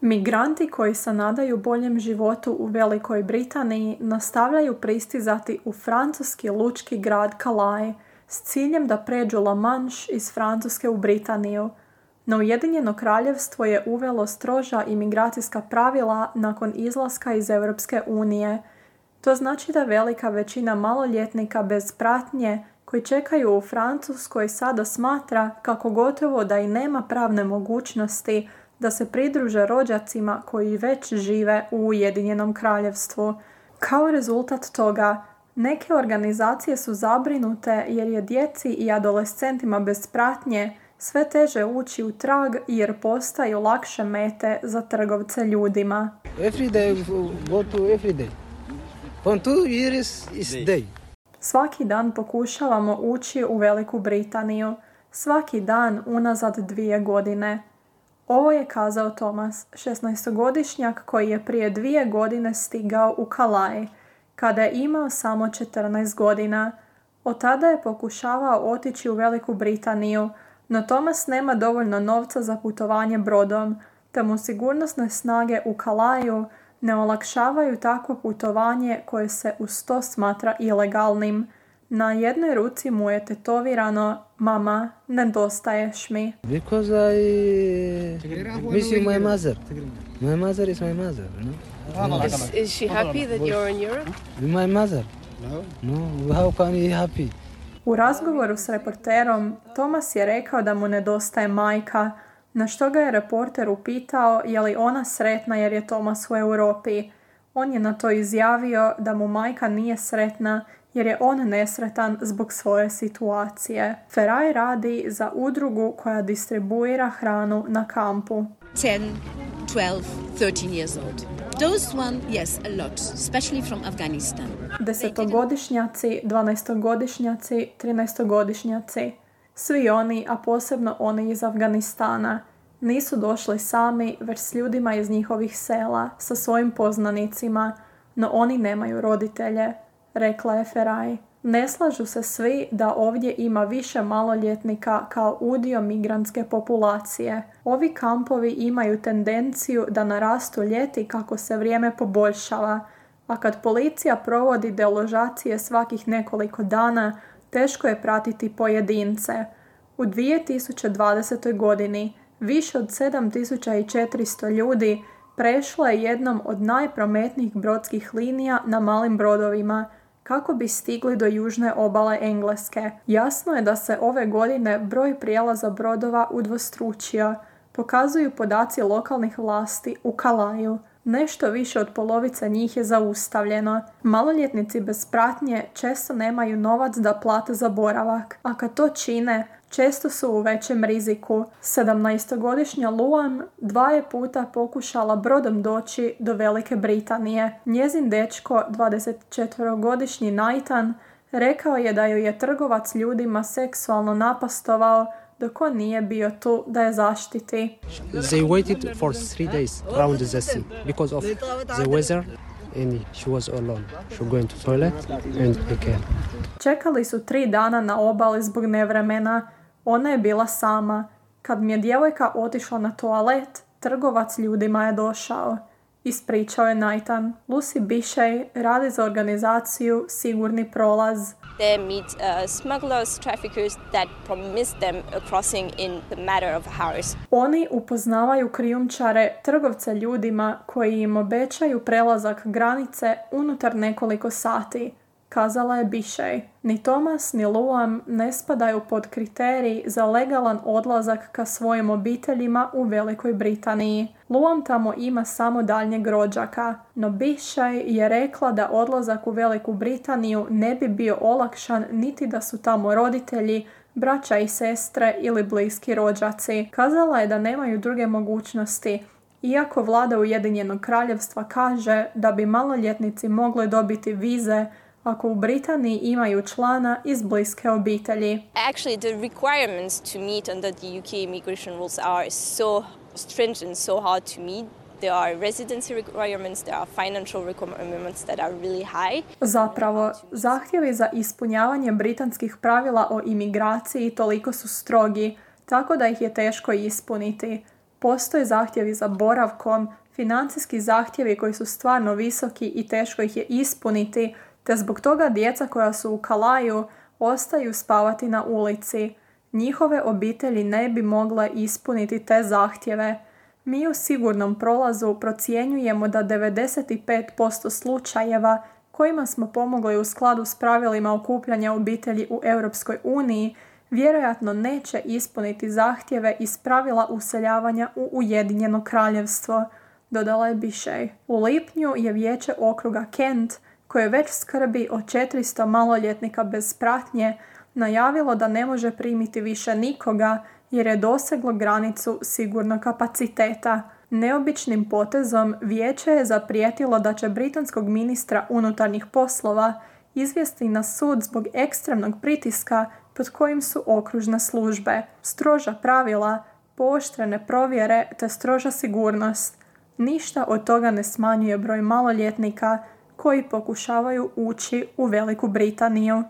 Migranti koji se nadaju boljem životu u Velikoj Britaniji nastavljaju pristizati u francuski lučki grad Calais s ciljem da pređu La Manche iz Francuske u Britaniju. No Ujedinjeno kraljevstvo je uvelo stroža imigracijska pravila nakon izlaska iz Europske unije. To znači da velika većina maloljetnika bez pratnje koji čekaju u Francuskoj sada smatra kako gotovo da i nema pravne mogućnosti da se pridruže rođacima koji već žive u Ujedinjenom kraljevstvu. Kao rezultat toga, neke organizacije su zabrinute jer je djeci i adolescentima bez pratnje sve teže ući u trag jer postaju lakše mete za trgovce ljudima. Every day go to every day. From 2 years is day. Svaki dan pokušavamo ući u Veliku Britaniju. Svaki dan unazad 2 godine. Ovo je kazao Thomas, 16-godišnjak koji je prije 2 godine stigao u Calais, kada je imao samo 14 godina. Od tada je pokušavao otići u Veliku Britaniju, no Thomas nema dovoljno novca za putovanje brodom, te mu sigurnosne snage u Calaisu ne olakšavaju takvo putovanje koje se uz to smatra ilegalnim. Na jednoj ruci mu je tetovirano: "Mama, nedostaješ mi." Because I miss my mother. My mother is my mother, no? Is she happy that you're in Europe? My mother. No, how can he happy? U razgovoru s reporterom, Thomas je rekao da mu nedostaje majka, na što ga je reporter upitao je li ona sretna jer je Thomas u Europi. On je na to izjavio da mu majka nije sretna jer je on nesretan zbog svoje situacije. Ferai radi za udrugu koja distribuira hranu na kampu. 10, 12, 13 years old. Those one, yes, a lot, especially from Afghanistan. 10-godišnjaci, 12-godišnjaci, 13-godišnjaci. Svi oni, a posebno oni iz Afganistana, nisu došli sami, već s ljudima iz njihovih sela, sa svojim poznanicima, no oni nemaju roditelje, rekla je Ferai. Ne slažu se svi da ovdje ima više maloljetnika kao udio migrantske populacije. Ovi kampovi imaju tendenciju da narastu ljeti kako se vrijeme poboljšava, a kad policija provodi deložacije svakih nekoliko dana, teško je pratiti pojedince. U 2020. godini više od 7400 ljudi prešlo je jednom od najprometnijih brodskih linija na malim brodovima kako bi stigli do južne obale Engleske. Jasno je da se ove godine broj prijelaza brodova udvostručio, pokazuju podaci lokalnih vlasti u Calaisu. Nešto više od polovice njih je zaustavljeno. Maloljetnici bez pratnje često nemaju novac da plate za boravak, a kad to čine, često su u većem riziku. 17-godišnja Luan 2 puta pokušala brodom doći do Velike Britanije. Njezin dečko, 24-godišnji Nathan, rekao je da ju je trgovac ljudima seksualno napastovao dok on nije bio tu da je zaštiti. They waited for 3 days around the sea because of the weather and she was alone. She going to toilet and again. Čekali su 3 dana na obali zbog nevremena. Ona je bila sama. Kad mi je djevojka otišla na toalet, trgovac ljudima je došao. Ispričao je Nathan. Lucy Bishey radi za organizaciju Sigurni prolaz. They meet smugglers, traffickers that promise them a crossing in the matter of hours. Oni upoznavaju krijumčare, trgovce ljudima koji im obećaju prelazak granice unutar nekoliko sati, kazala je Bishey. Ni Thomas ni Luan ne spadaju pod kriterij za legalan odlazak ka svojim obiteljima u Velikoj Britaniji. Luan tamo ima samo daljnjeg rođaka, no Bishey je rekla da odlazak u Veliku Britaniju ne bi bio olakšan niti da su tamo roditelji, braća i sestre ili bliski rođaci. Kazala je da nemaju druge mogućnosti, iako vlada Ujedinjenog kraljevstva kaže da bi maloljetnici mogli dobiti vize ako u Britaniji imaju člana iz bliske obitelji. Actually, the requirements to meet under the UK immigration rules are so stringent, so hard to meet. There are residency requirements, there are financial requirements that are really high. Zapravo, zahtjevi za ispunjavanje britanskih pravila o imigraciji toliko su strogi, tako da ih je teško ispuniti. Postoje zahtjevi za boravkom, financijski zahtjevi koji su stvarno visoki i teško ih je ispuniti, te zbog toga djeca koja su u Kalaju ostaju spavati na ulici. Njihove obitelji ne bi mogle ispuniti te zahtjeve. Mi u sigurnom prolazu procjenjujemo da 95% slučajeva kojima smo pomogli u skladu s pravilima okupljanja obitelji u Europskoj uniji vjerojatno neće ispuniti zahtjeve iz pravila useljavanja u Ujedinjeno kraljevstvo, dodala je Bishai. U lipnju je vijeće okruga Kent, koje već skrbi o 400 maloljetnika bez pratnje, najavilo da ne može primiti više nikoga jer je doseglo granicu sigurnog kapaciteta. Neobičnim potezom vijeće je zaprijetilo da će britanskog ministra unutarnjih poslova izvesti na sud zbog ekstremnog pritiska pod kojim su okružne službe, stroža pravila, pooštrene provjere te stroža sigurnost. Ništa od toga ne smanjuje broj maloljetnika koji pokušavaju ući u Veliku Britaniju.